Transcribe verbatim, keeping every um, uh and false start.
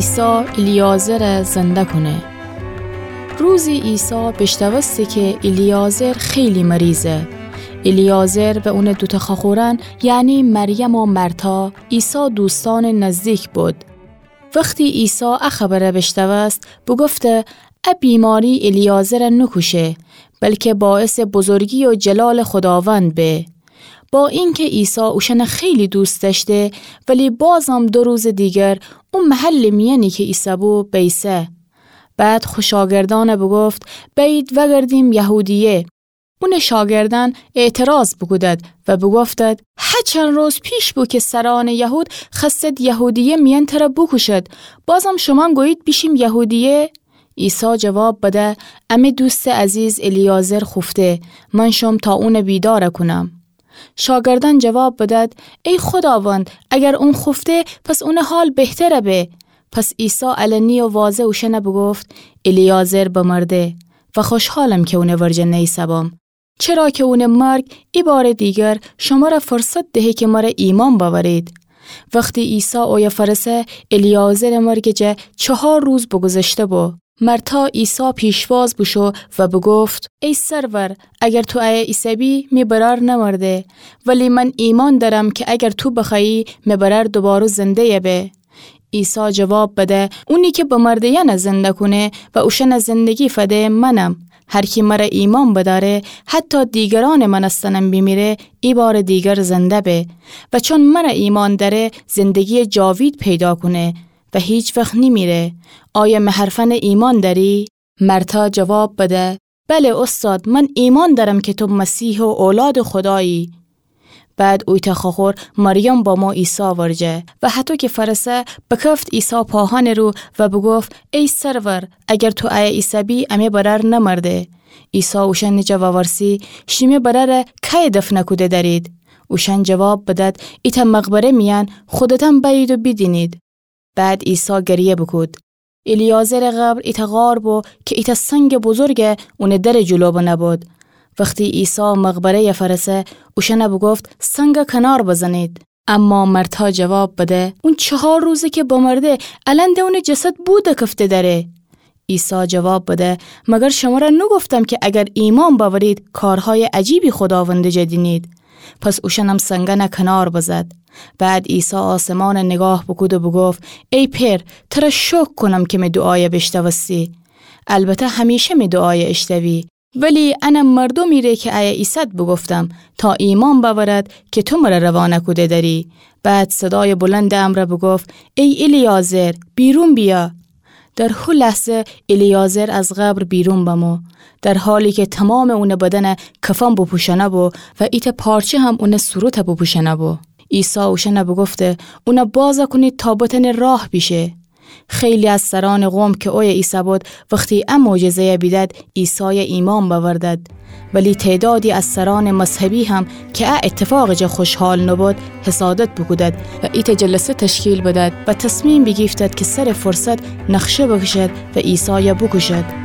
عیسی الیعازر زنده کونه. روزی عیسی بیشنوسته که الیعازر خیلی مریضه. الیعازر و اونٚ دوتأ خوأخورأن، یعنی مریم و مرتا، عیسی دوستأنٚ نزدیک بود. وختی عیسی ا خبر بیشنوست، بوگفته: ا بیماری الیعازر نوکوشه، بلکه باعثٚ بزرگی و جلالٚ خوداوند به. با اینکه عیسی اوشأن خیلی دوست دأشته، ولی بازم دو روزٚ دیگر او محلٚ میأنی که ایسه‌بو بیسه. بعد خو شاگردأن بوگفت: بأیید وأگردیم یهودیه. اونٚ شاگردأن اعتراض بوکودد و بوگفتد: هچند روز پیش بو که سرأنٚ یهود خوأستید یهودیه میأن تره بوکوشید، بازم شومأن گویید بیشیم یهودیه؟ عیسی جواب بده: امه دوستٚ عزیز الیعازر خوفته، من شوم تا اون بیدار کونم. شاگردأن جواب بدد: ای خوداوند، اگر اون خوفته، پس اونٚ حال بهتر به. پس عیسی علنی و واضح اوشأن بوگفت: الیعازر بمرده و خوشحالم که اونٚ ورجه نیسه‌بم، چرا که اونٚ مرگ ای بارٚ دیگر شمره فرصت دهه که مره ایمأن بأورید. وختی عیسی اویه فأرسه، الیعازرٚ مرگٚ جا چهار روز بوگوذشته بو. مرتا عیسی پیشواز بوشو و بوگفت: ای سرور، اگر تو ایه ایسه‌بی، می برأر نمرده، ولی من ایمأن دأرم که اگر تو بخوأیی، می برأر دوباره زنده‌یه به. عیسی جواب بده: اونی که بمرده‌یأن زنده کونه و اوشأن زندگی فده منم. هر کی مره ایمأن بدأره، حتی دیگرأنٚ مأنستنم بیمیره، ای بارٚ دیگر زنده به. و چون مره ایمأن دأره، زندگییٚ جاوید پیدا کونه و هیچ وخت نیمیره. آیا می حرفأن ایمأن دأری؟ مرتا جواب بده: بله اوستاد، من ایمأن دأرم که تو مسیح و اولادٚ خودایی. بعد اویتأ خوأخور مریم بمو عیسی ورجه و هطو که فأرسه، بکفت عیسی پاهأنٚ رو و بوگفت: ای سرور، اگر تو ایه ایسه‌بی، امی برأر نمرده. عیسی اوشأنٚ جا وورسی: شیمی برأر کیه دفن کوده دأرید؟ اوشأن جواب بدد: ایتأ مقبره میأن، خودتأن بأیید و بیدینید. بعد عیسی گریه بوکود. الیعازرٚ قبر ایتأ غار بو که ایتأ سنگٚ بزرگ اونٚ درٚ جلو بنه بود. وختی عیسی مقبره‌یه فأرسه، اوشأن بوگفت: سنگ کنار بزنید. اما مرتا جواب بده: اون چهار روزه که بمرده، الأن ده اونٚ جسد بو دکفته دأره. عیسی جواب بده: مگر شمره نوگفتم که اگر ایمأن بأورید، کارهایٚ عجیبی خوداوندٚ جا دینید؟ پس اوشأنم سنگأن کنار بزد. بعد عیسی آسمانٚ نیگاه بوکود و بوگفت: ای پئر، تره شکر کونم که می دوعایه بیشنوستی. البته همیشه می دوعایه ایشنوی. ولی ان مردومی ره که ایه ایسد بوگفتم، تا ایمأن بأورد که تو مره روانه کوده دأری. بعد صدایٚ بلندٚ امرأ بوگفت: ای الیعازر، بیرون بیأ. در هو لحظه الیعازر از قبر بیرون بمو، در حالی که تومامٚ اونٚ بدن کفن بوپوشأنه بو و ایتأ پارچه هم اونٚ صورت بوپوشأنه بو. عیسی اوشأن بوگفته: اون بازَ کونید تا بتأنه راه بیشه. خیلی از سرأنٚ قوم که اویه ایسه‌بود، وختی ا معجزه‌یَ بیدد، عیسایَ ایمأن بأوردد. ولی تعدادی از سرأنٚ مذهبی هم که ا ایتفاقٚ جا خوشحال نوبود، حسادت بوکودد و ایتأ جلسه تشکیل بدد و تصمیم بیگیفتد که سرٚ فرصت نقشه بکشد و عیسایَ بوکوشد.